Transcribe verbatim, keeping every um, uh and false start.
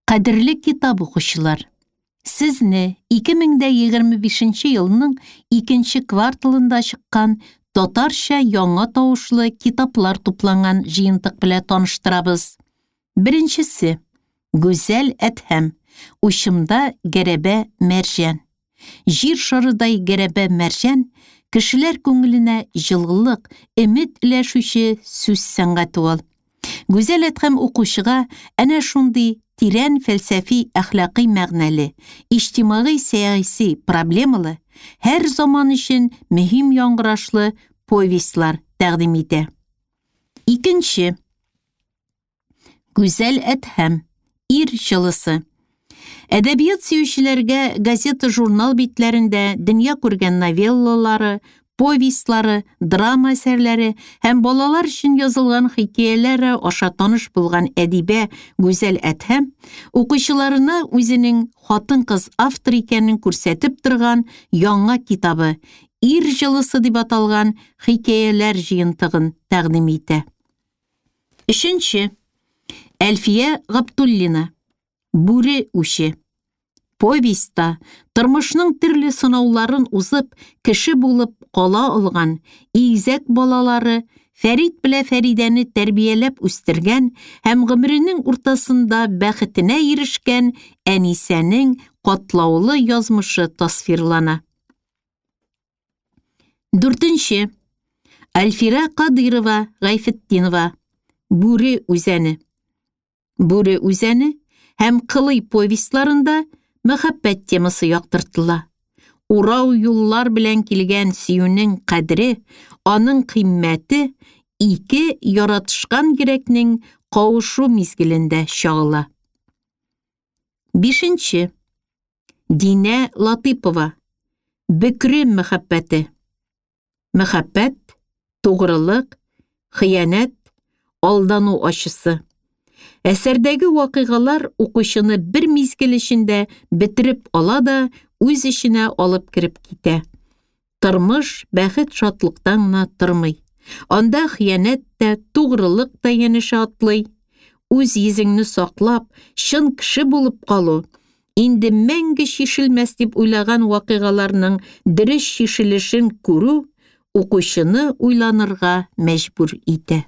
Кадерле китап укучылар, сезне ике мең дә егерме бишенче елның икенче кварталында чыккан татарча яңа тавышлы китаплар тупланган җыентык белән таныштырабыз. Беренчесе Гүзәл Әдһәм, Учымда гәрәбә мәрҗән. Җир шарыдай гәрәбә мәрҗән кешеләр күңеленә җылылык, өмет өләшүче сүз сәнгате ул. Гүзәл Әдһәм укучыга әнә шундый тирән фәлсәфи әхлакый мәгънәле, иҗтимагый сәяси проблемалы, һәр заман өчен мөһим яңгырашлы повестьлар тәкъдим итә. Икенче. Гүзәл Әдһәм, Ир җылысы. Әдәбият сөючеләргә газета-журнал битләрендә дөнья күргән новеллалары, повестьлары, драма әсәрләре һәм балалар өчен язылган хикәяләре аша таныш булган әдибә Гүзәл Әдһәм укучыларына үзенең хатын-кыз автор икәнен күрсәтеп торган яңа китабы Ир җылысы дип аталган хикәяләр җыентыгын тәкъдим итә. Өченче. Әлфия Габдуллина. Бүре үче. Повестьта тормышның төрле сынауларын узып, кеше булып кала алган игезәк балалары Фәрит белән Фәридәне тәрбияләп үстергән һәм гомеренең уртасында бәхетенә ирешкән Әнисәнең катлаулы язмышы тасвирлана. Дүртенче. Альфира Кадырова Гайфетдинова. Бүре үзәне. Бүре үзәне һәм Кылый повестьларында мәхәббәт темасы яктыртыла. Урау юллар белән килгән сөюнең кадере, аның кыйммәте ике яратышкан йөрәкнең кавышу мизгелендә чагыла. Бишенче. Динә Латыпова. Бөкре мәхәббәте. Мәхәббәт, тугрылык, хыянәт, алдану ачысы. Әсәрдәге вакыйгалар укучыны бер мизгел эчендә бетереп ала да үз эченә алып кереп китә. Тормыш бәхет шатлыктан гына тормый. Анда хыянәт тә, тугрылык та янәшә атлый. Үз йөзеңне саклап, чын кеше булып калу, инде мәңге чишелмәс дип уйлаган вакыйгаларның дөрес чишелешен күрү укучыны уйланырга мәҗбүр итә.